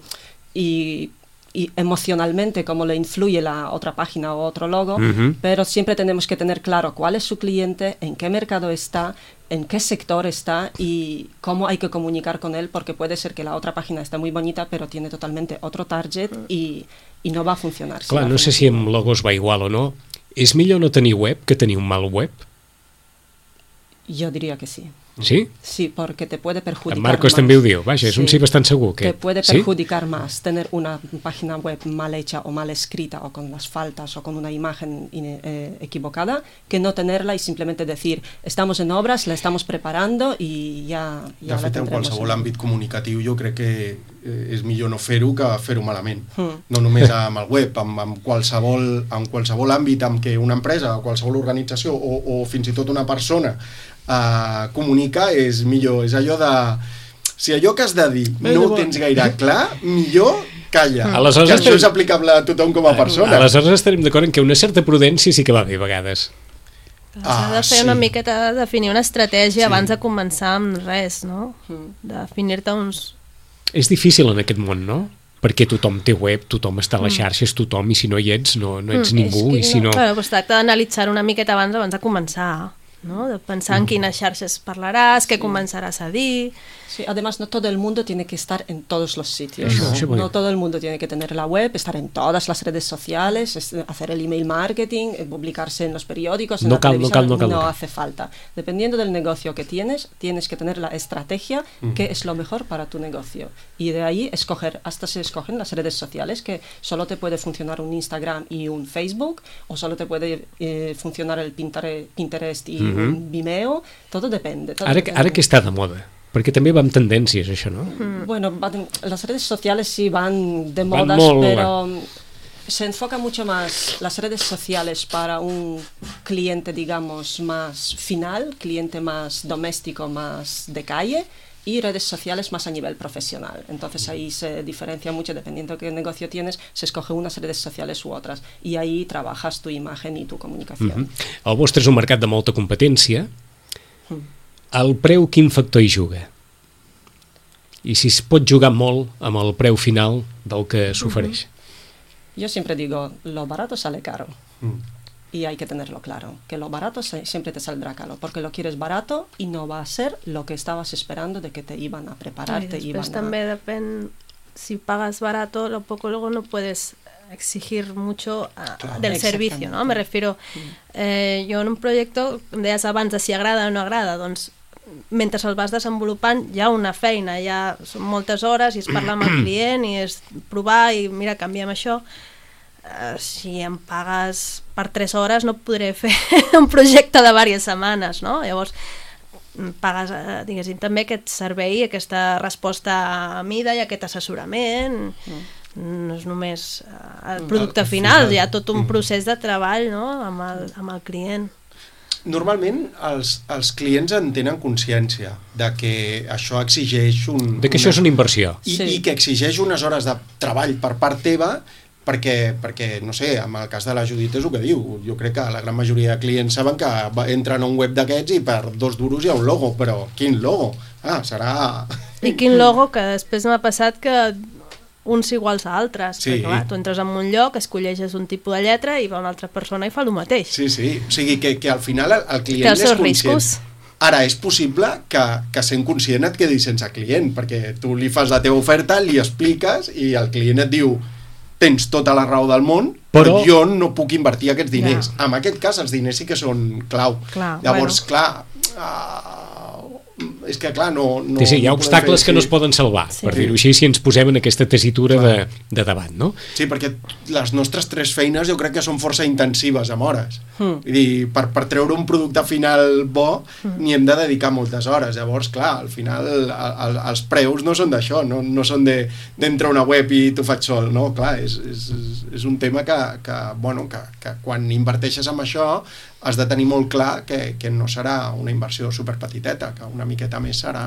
F: y y emocionalmente cómo le influye la otra página o otro logo,
B: Uh-huh.
F: pero siempre tenemos que tener claro cuál es su cliente, en qué mercado está, en qué sector está y cómo hay que comunicar con él, porque puede ser que la otra página esté muy bonita, pero tiene totalmente otro target y, y no va a funcionar. si
B: Clar,
F: lo
B: no sé
F: hacemos
B: si
F: igual.
B: amb logos va igual o no. És millor no tenir web que tenir un mal web?
F: Yo diría que sí.
B: Sí?
F: Sí, porque te puede perjudicar
B: En Marcos
F: más.
B: també ho diu. Vaja, és un
F: Sí.
B: sí bastant segur. Que...
F: Te puede
B: sí?
F: perjudicar más tener una página web mal hecha o mal escrita o con las faltas o con una imagen in- eh, equivocada que no tenerla y simplemente decir estamos en obras, la estamos preparando y ja, ja
E: De
F: la
E: fet, en
F: tendremos.
E: qualsevol àmbit comunicatiu jo crec que eh, és millor no fer-ho que fer-ho malament.
F: Mm.
E: No només amb el web, amb, amb, qualsevol, amb qualsevol àmbit amb què una empresa o qualsevol organització o, o fins i tot una persona eh, comunica és millor. És allò de... Si allò que has de dir no ho tens gaire clar, millor calla.
B: Aleshores
E: Que això
B: estem-
E: és aplicable a tothom com a persona.
B: Aleshores estarem d'acord en que una certa prudència sí que va bé a vegades.
D: S'ha de
E: Ah,
D: fer
E: sí.
D: una miqueta, definir una estratègia
E: Sí.
D: abans de començar amb res, no?
F: Mm.
D: Definir-te uns...
B: És difícil en aquest món, no? Perquè tothom té web, tothom està a les xarxes, tothom, i si no hi ets, no, no ets
D: Mm,
B: ningú,
F: és que
B: i si no...
D: Bueno, doncs tracta d'analitzar una miqueta abans abans de començar, no? De pensar en quines xarxes parlaràs, què començaràs a dir...
F: Sí, además no todo el mundo tiene que estar en todos los sitios.
B: Eso, sí, porque-
F: No todo el mundo tiene que tener la web, estar en todas las redes sociales, es- hacer el email marketing, eh, publicarse en los periódicos, en
B: No
F: la
B: cal, no
F: televisión.
B: cal, no cal, no cal.
F: hace falta. Dependiendo del negocio que tienes, tienes que tener la estrategia que es lo mejor para tu negocio. Y de ahí escoger, hasta se escogen las redes sociales, que solo te puede funcionar un Instagram y un Facebook, o solo te puede eh, funcionar el Pintere- Pinterest y
B: Mhm.
F: un Vimeo. Todo depende. todo
B: Ara, que- ara
F: depende.
B: que està de moda, perquè també va amb tendències, això, no?
F: Bueno, van- las redes sociales sí van de
B: Van
F: modas,
B: molt,
F: pero mm, se enfoca mucho más las redes sociales para un cliente, digamos, más final, cliente más doméstico, más de calle, y redes sociales más a nivel profesional. Entonces ahí se diferencia mucho, dependiendo de qué negocio tienes, se escoge unas redes sociales u otras, y ahí trabajas tu imagen y tu comunicación.
B: Mhm. El vostre és un mercat de molta competència. El preu quin factor hi juga? I si es pot jugar molt amb el preu final del que s'ofereix?
F: Yo siempre digo, lo barato sale caro.
E: Mm.
F: Y hay que tenerlo claro, que lo barato se- siempre te saldrá caro, porque lo quieres barato y no va a ser lo que estabas esperando de que te iban a preparar,
D: I
F: te
D: després
F: iban
D: també
F: a...
D: depèn, si pagas barato, lo poco luego no puedes exigir mucho a-
E: Claro.
D: del
F: Exactamente.
D: servicio, ¿no? Me refiero, eh, jo en un projecte, em deies abans de si agrada o no agrada, doncs mentre el vas desenvolupant hi ha una feina, hi ha, són moltes hores i es parla amb el client i és provar i mira, canviem això. Uh, si em pagues per tres hores no podré fer un projecte de diverses setmanes, no? Llavors mm, pagues, uh, diguéssim, també aquest servei, aquesta resposta a mida i aquest assessorament. Mm. No és només uh, el producte
E: Al
D: final,
E: final.
D: hi ha tot un
E: Mm.
D: procés de treball, no?, amb el, amb el client.
E: Normalment els, els clients en tenen consciència de que això exigeix un...
B: De que això és una inversió.
E: I,
F: Sí.
E: i que exigeix unes hores de treball per part teva perquè, perquè, no sé, en el cas de la Judit és el que diu. Jo crec que la gran majoria de clients saben que va- entren a un web d'aquests i per dos duros hi ha un logo, però quin logo? Ah, serà...
D: I quin logo, que després m'ha passat que uns iguals a altres,
E: Sí.
D: perquè clar, tu entres en un lloc, escolleixes un tipus de lletra i va una altra persona i fa el mateix.
E: Sí, sí, o sigui que, que al final el, el client
D: Té els
E: és
D: seus
E: conscient.
D: riscos.
E: Ara, és possible que, que sent conscient et quedis sense client, perquè tu li fas la teva oferta, li expliques i el client et diu tens tota la raó del món, però,
B: Però-
E: jo no puc invertir aquests diners.
D: Ja.
E: En aquest cas, els diners sí que són clau.
D: Clar,
E: Llavors,
D: bueno.
E: clar, uh, és que, clar, no... no
B: Sí, sí, hi ha
E: no podem
B: obstacles
E: fer
B: que no
E: així.
B: es poden salvar,
D: Sí.
B: per dir-ho així, si ens posem en aquesta tessitura de,
E: Clar.
B: de davant, no?
E: Sí, perquè les nostres tres feines jo crec que són força intensives amb hores.
F: Mm.
E: Vull dir, per, per treure un producte final bo n'hi hem de dedicar moltes hores. Llavors, clar, al final el, el, els preus no són d'això, no, no són de- d'entrar a una web i t'ho faig sol, no? Clar, és, és, és un tema que, que, bueno, que, que quan inverteixes en això has de tenir molt clar que, que no serà una inversió superpetiteta, que una miqueta més serà.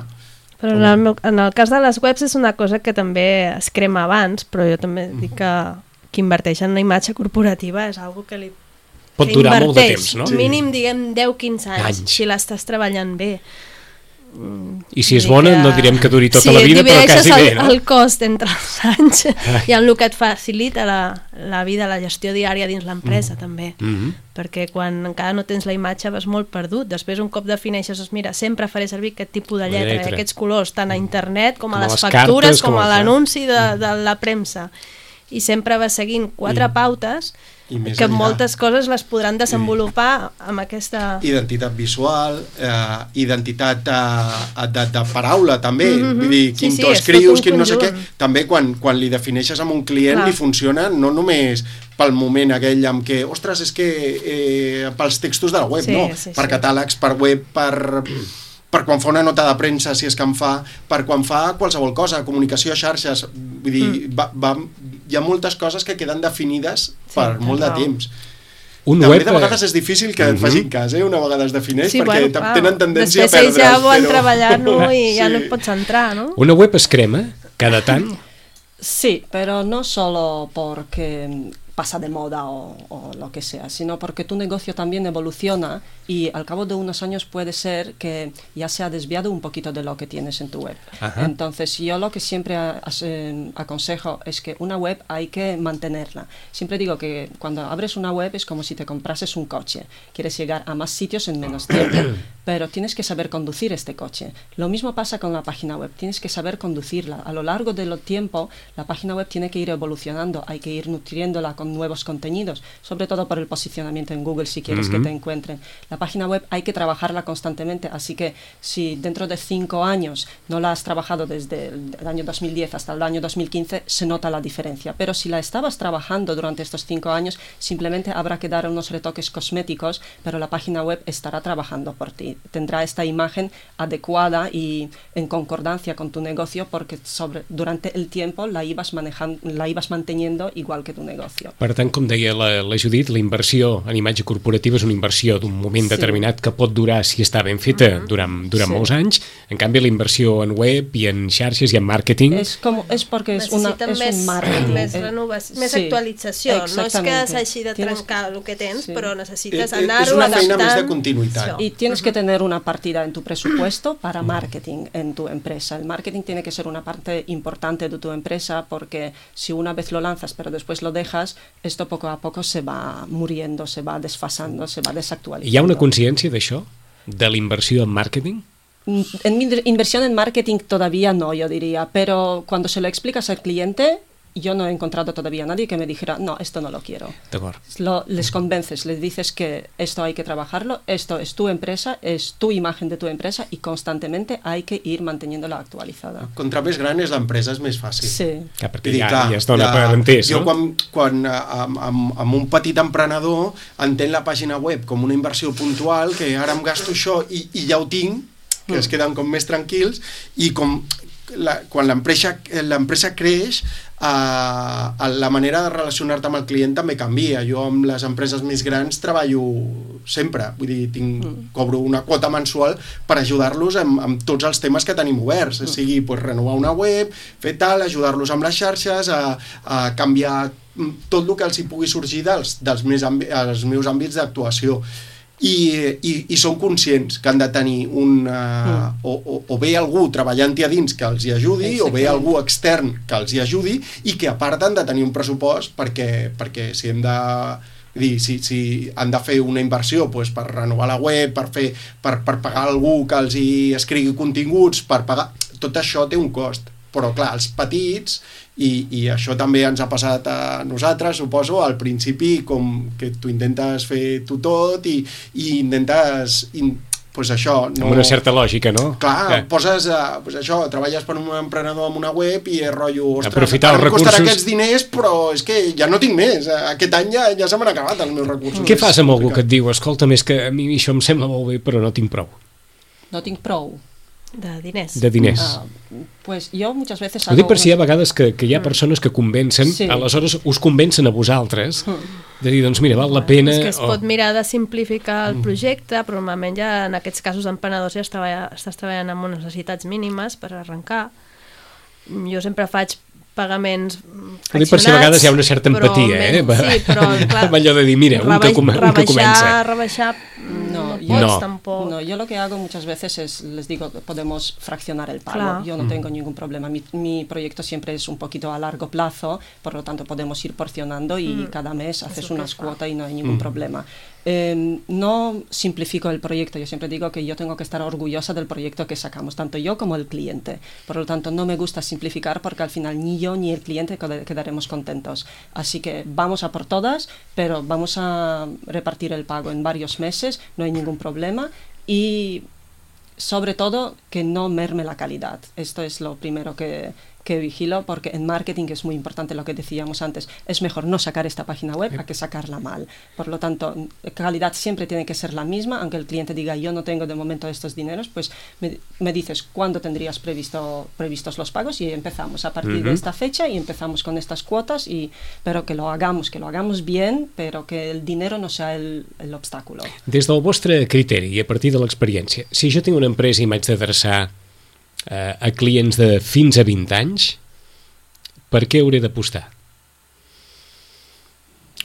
D: Però en el, meu, en el cas de les webs és una cosa que també es crema abans, però jo també dic que qui inverteix en una imatge corporativa és algo que li
B: Pot
D: que
B: durar molt de
D: inverteix,
B: temps, no?
E: Sí.
D: mínim, diguem, deu a quinze anys,
B: Anys.
D: si l'estàs treballant bé.
B: I si és bona,
D: que...
B: no direm que duri tota
D: sí,
B: la vida, però quasi
D: el,
B: bé, no?
D: el cost entre els anys i el que et facilita la, la vida, la gestió diària dins l'empresa, mm. també. Mm-hmm. Perquè quan encara no tens la imatge vas molt perdut. Després, un cop defineixes, doncs, mira, sempre faré servir aquest tipus de lletra, lletra. aquests colors, tant a internet com, com a les, les factures, cartes, com, com a l'anunci de, de la premsa. I sempre vas seguint quatre mm. pautes que enllà, moltes coses les podran desenvolupar amb aquesta...
E: Identitat visual, eh, identitat eh, de, de paraula, també. Mm-hmm. Vull dir, quin sí, sí, to escrius, quin no sé què. També quan, quan li defineixes amb un client Clar. li funciona no només pel moment aquell amb què, ostres, és que eh, pels textos de la web, sí, no. Sí, per sí. catàlegs, per web, per... per quan fa una nota de premsa, si és que en fa, per quan fa qualsevol cosa, comunicació a xarxes, vull dir, mm. va, va, hi ha moltes coses que queden definides per sí, molt de temps. Un També web... de vegades és difícil que et facin cas, eh? Una vegada es defineix, sí, perquè bueno, tenen tendència
D: a
E: perdre'l.
D: Després ells ja volen però... treballar-lo i sí. ja no et pots entrar, ¿no?
B: Una web es crema cada tant?
F: Sí, pero no solo porque pasa de moda o, o lo que sea, sino porque tu negocio también evoluciona y al cabo de unos años puede ser que ya se ha desviado un poquito de lo que tienes en tu web. Ajá. Entonces yo lo que siempre a, a, eh, aconsejo es que una web hay que mantenerla. Siempre digo que cuando abres una web es como si te comprases un coche. Quieres llegar a más sitios en menos tiempo, pero tienes que saber conducir este coche. Lo mismo pasa con la página web, tienes que saber conducirla. A lo largo del tiempo la página web tiene que ir evolucionando, hay que ir nutriéndola con nuevos contenidos, sobre todo por el posicionamiento en Google si quieres uh-huh. que te encuentren. La página web hay que trabajarla constantemente, así que si dentro de cinco años no la has trabajado desde el año dos mil diez hasta el año dos mil quince, se nota la diferencia, pero si la estabas trabajando durante estos cinco años, simplemente habrá que dar unos retoques cosméticos, pero la página web estará trabajando por ti, tendrá esta imagen adecuada y en concordancia con tu negocio, porque sobre, durante el tiempo la ibas manejando, la ibas manteniendo igual que tu negocio.
B: Per tant, com deia la, la Judit, la inversió en imatge corporativa és una inversió d'un moment sí. determinat que pot durar, si està ben feta, uh-huh. durant, durant sí. molts anys. En canvi, la inversió en web i en xarxes i en màrqueting...
F: És, com, és perquè és, una, és
D: més,
F: un marketing.
D: Més renovació, més sí. actualització. No és que s'hagi de trencar tienes, el que tens, sí. però necessites
E: eh,
D: anar-ho adaptant.
E: És una feina més de continuïtat.
F: Y tienes uh-huh. que tener una partida en tu presupuesto para marketing en tu empresa. El marketing tiene que ser una parte importante de tu empresa, porque si una vez lo lanzas pero después lo dejas, esto poco a poco se va muriendo, se va desfasando, se va desactualizando.
B: ¿Hi ha una consciència d'això? ¿De la inversión en marketing?
F: En inversión en marketing todavía no, yo diría, pero cuando se lo explicas al cliente, yo no he encontrado todavía a nadie que me dijera, no, esto no lo quiero. Lo, les convences, les dices que esto hay que trabajarlo, esto es tu empresa, es tu imagen de tu empresa y constantemente hay que ir manteniéndola actualizada.
E: Contra més gran és l'empresa, és més fàcil.
F: Sí.
B: Ja, perquè dir, ja, clar, ja es dona per entès,
E: jo
B: no?
E: quan, quan amb, amb, amb un petit emprenedor entén la pàgina web com una inversió puntual, que ara em gasto això i, i ja ho tinc, que mm. es queden com més tranquils, i com la, quan l'empresa l'empresa creix, Uh, la manera de relacionar-te amb el client també canvia. Jo amb les empreses més grans treballo sempre, vull dir, tinc, mm. cobro una quota mensual per ajudar-los amb, amb tots els temes que tenim oberts, mm. sigui pues, renovar una web, fer tal, ajudar-los amb les xarxes, a, a canviar tot el que els hi pugui sorgir dels, dels més àmbi- els meus àmbits d'actuació. I, i, i són conscients que han de tenir un, uh, mm. o, o, o bé algú treballant-hi a dins que els hi ajudi, o bé algú extern que els hi ajudi, i que a part han de tenir un pressupost perquè, perquè si hem de dir, si, si han de fer una inversió pues, per renovar la web, per, fer, per, per pagar algú que els hi escrigui continguts, per pagar, tot això té un cost. Però clar, els petits, i, i això també ens ha passat a nosaltres, suposo, al principi, com que tu intentes fer tu tot i, i intentes, in, pues això... No...
B: Amb una certa lògica, no?
E: Clar, eh. poses, uh, pues això, treballes per un emprenedor amb una web i és rotllo, ostres,
B: aprofitar els recursos...
E: costarà aquests diners, però és que ja no tinc més, aquest any ja, ja se m'han acabat els meus recursos.
B: Què fas amb algú que et diu, escolta, més que a mi això em sembla molt bé, però no tinc prou?
F: No tinc prou?
D: De diners.
B: De diners.
F: Uh, pues jo muchas veces...
B: Ho dic per si hi ha vegades que, que hi ha persones que convencen, sí. aleshores us convencen a vosaltres, de dir, doncs mira, val la pena...
D: És que es o... pot mirar de simplificar el projecte, però normalment ja en aquests casos d'emprenedors ja treballa, estàs treballant amb unes necessitats mínimes per arrencar. Jo sempre faig pagaments fraccionats. Ho dic per si a vegades
B: hi ha una certa empatia, eh?
D: Sí, però clar,
B: amb allò de dir, mira, un que, com, un que comença.
D: Rebaixar,
F: no,
D: pots
B: no.
D: tampoc...
F: No, yo lo que hago muchas veces es, les digo, podemos fraccionar el pago.
D: Claro.
F: Yo no tengo ningún problema. Mi, mi proyecto siempre es un poquito a largo plazo, por lo tanto podemos ir porcionando y
D: Mm.
F: cada mes haces
D: Eso que
F: unas
D: fa.
F: cuotas y no hay ningún
B: Mm.
F: problema. Eh, no simplifico el proyecto. Yo siempre digo que yo tengo que estar orgullosa del proyecto que sacamos, tanto yo como el cliente. Por lo tanto, no me gusta simplificar porque al final ni yo ni el cliente qued- quedaremos contentos. Así que vamos a por todas, pero vamos a repartir el pago en varios meses, no hay ningún problema y sobre todo que no merme la calidad. Esto es lo primero que, que vigilo, porque en marketing es muy importante lo que decíamos antes. Es mejor no sacar esta página web a que sacarla mal. Por lo tanto, calidad siempre tiene que ser la misma, aunque el cliente diga yo no tengo de momento estos dineros, pues me, me dices cuándo tendrías previsto previstos los pagos y empezamos a partir
B: Uh-huh.
F: de esta fecha y empezamos con estas cuotas, y pero que lo hagamos, que lo hagamos bien, pero que el dinero no sea el, el obstáculo.
B: Des del vostre criteri i a partir de l'experiència, si jo tinc una empresa i m'haig d'adreçar eh, a clients de fins a vint anys, per què hauré d'apostar?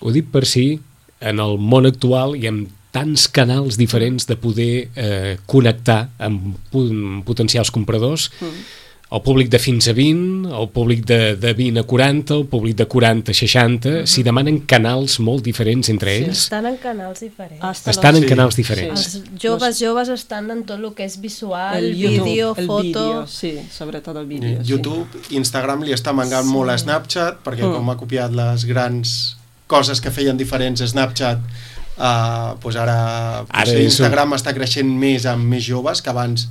B: Ho dic per si en el món actual hi ha tants canals diferents de poder eh, connectar amb pu- potencials compradors,
F: Mm.
B: el públic de fins a vint, el públic de, de vint a quaranta, el públic de quaranta a seixanta, si demanen canals molt diferents entre
F: Sí.
B: ells,
D: Estan en canals diferents.
F: Hasta
B: estan
F: los-
B: en
E: Sí.
B: canals diferents.
F: Sí.
D: Els joves, joves estan en tot el que és visual,
F: El YouTube,
D: vídeo,
F: el
D: foto...
F: vídeo, sí, sobre todo el vídeo. sí.
E: YouTube, Instagram li està mangant
D: Sí.
E: molt a Snapchat, perquè
F: Mm.
E: com ha copiat les grans coses que feien diferents a Snapchat, uh, doncs ara,
B: Ara
E: potser
B: és un-
E: Instagram està creixent més amb més joves, que abans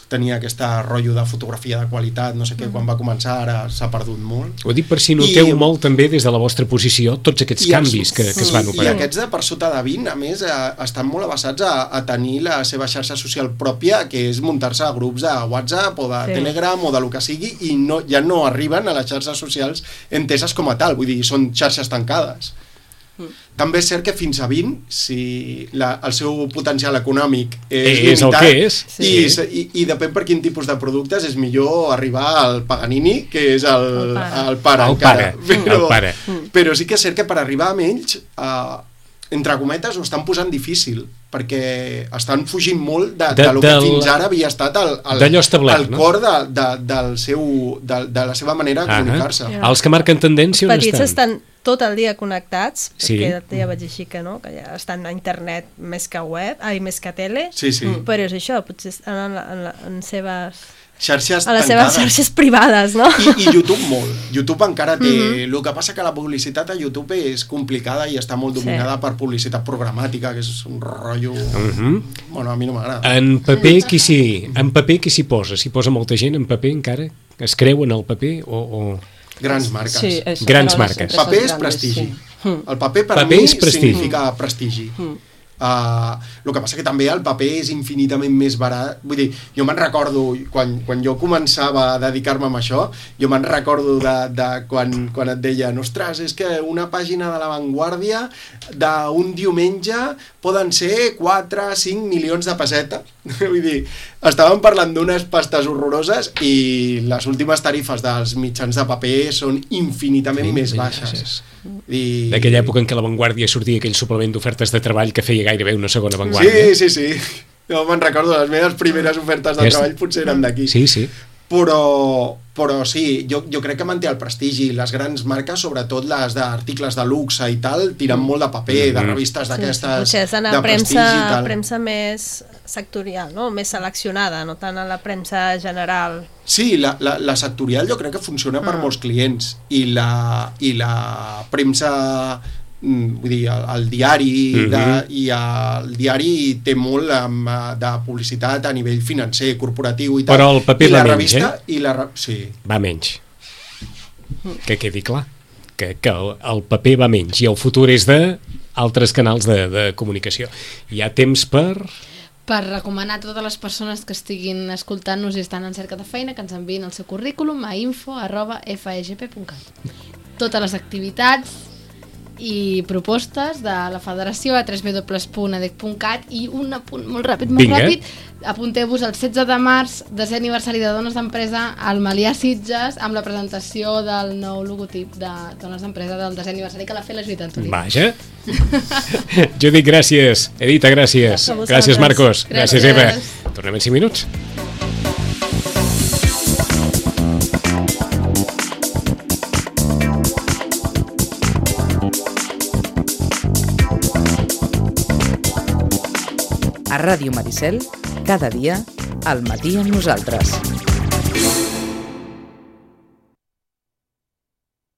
E: tenia aquesta rotllo de fotografia de qualitat, no sé què, quan va començar, ara s'ha perdut molt.
B: Ho dic per si noteu
E: I-
B: molt també des de la vostra posició tots aquests
E: I els-
B: canvis que, que es van
E: I
B: operar.
E: aquests de per sota de vint, a més, eh, estan molt avançats a, a tenir la seva xarxa social pròpia, que és muntar-se a grups de WhatsApp o de
D: Sí.
E: Telegram o de lo que sigui, i no, ja no arriben a les xarxes socials enteses com a tal, vull dir, són xarxes tancades.
F: Mm.
E: També és cert que fins a vint, si la, el seu potencial econòmic és,
B: És el
E: limitat,
B: que és.
E: i,
F: Sí.
E: i, i depèn per quin tipus de productes, és millor arribar al Paganini, que és el,
D: El pare.
E: el pare,
B: El
E: encara.
B: pare, el pare.
E: Però sí que és cert que per arribar a menys, eh, entre cometes, ho estan posant difícil, perquè estan fugint molt de, de,
B: De-
E: de lo que
B: del-
E: fins ara havia estat el, el,
B: d'allò establert,
E: el
B: no?
E: cor de, de, del seu, de, de la seva manera de
B: Ah,
E: comunicar-se.
D: Ja.
B: Els que marquen tendència on
D: Petits
B: estan?
D: estan tot el dia connectats,
B: Sí.
D: perquè ja vaig així que no, que ja estan a internet més que web, ai, més que tele,
E: Sí, sí.
D: Mm. però és això, potser estan en, la, en, la, en seves...
E: Xarxes
D: a les seves
E: tancades.
D: xarxes privades, no?
E: I, I YouTube molt. YouTube encara té...
D: Mhm.
E: El que passa que la publicitat a YouTube és complicada i està molt
D: Sí.
E: dominada per publicitat programàtica, que és un rotllo...
B: Mhm.
E: Bueno, a mi no m'agrada.
B: En paper qui s'hi en paper qui s'hi posa? S'hi posa molta gent en paper encara? Es creuen el paper o... o...
E: Grans marques.
F: Sí, eso,
B: Grans
F: pero las
B: marques.
F: empresas
E: Paper és
F: grandes,
E: prestigi.
F: sí. Mm.
E: El paper per
B: Paper
E: mi
B: és prestigi.
E: significa prestigi.
F: Mm.
E: Uh, el que passa que també el paper és infinitament més barat. Vull dir, jo me'n recordo, quan, quan jo començava a dedicar-me a això, jo me'n recordo de, de quan, quan et deien, ostres, és que una pàgina de La Vanguardia d'un diumenge poden ser quatre a cinc milions de pessetes. Vull dir, estàvem parlant d'unes pastes horroroses i les últimes tarifes dels mitjans de paper són infinitament
B: Sí,
E: més
B: sí,
E: baixes. I...
B: D'aquella època en què la Vanguardia sortia aquell suplement d'ofertes de treball que feia gairebé una segona Vanguardia.
E: Sí, sí, sí. Jo me'n recordo, les meves primeres ofertes de
B: És-
E: treball potser eren d'aquí.
B: Sí, sí.
E: Però, però sí, jo, jo crec que manté el prestigi. Les grans marques, sobretot les d'articles de luxe i tal, tiren molt de paper, de
B: Mhm.
E: revistes d'aquestes
D: Potser és anar
E: de
D: a premsa,
E: prestigi i tal.
D: premsa més sectorial, no? Més seleccionada, no tant a la premsa general.
E: Sí, la, la, la sectorial jo crec que funciona per
D: Ah.
E: molts clients i la, i la premsa, mm, vull dir, el, el diari
B: Mhm.
E: de, i el diari té molt amb, eh, de publicitat a nivell financer, corporatiu i tal.
B: Però el paper
E: I la
B: va menys,
E: revista, i la, re- sí.
B: Va menys. Que quedi clar. Que, que el, el paper va menys i el futur és de altres canals de, de comunicació. Hi ha temps per...
C: Per recomanar a totes les persones que estiguin escoltant-nos i estan en cerca de feina que ens enviïn el seu currículum a info arroba f e g p punt cat. Totes les activitats i propostes de la federació a w w w punt edec punt cat i un apunt molt ràpid, molt
B: Vinga.
C: ràpid. Apunteu-vos el setze de març, desè aniversari de Dones d'Empresa al Melià Sitges, amb la presentació del nou logotip de Dones d'Empresa del desè aniversari que l'ha fet la Judit Antolí.
B: Vaja. Judit, gràcies. Edita, gràcies.
D: A vosaltres.
B: Gràcies, Marcos. Gràcies, Eva.
C: Gràcies.
B: Tornem en cinc minuts.
A: A Ràdio Maricel, cada dia, al matí amb nosaltres.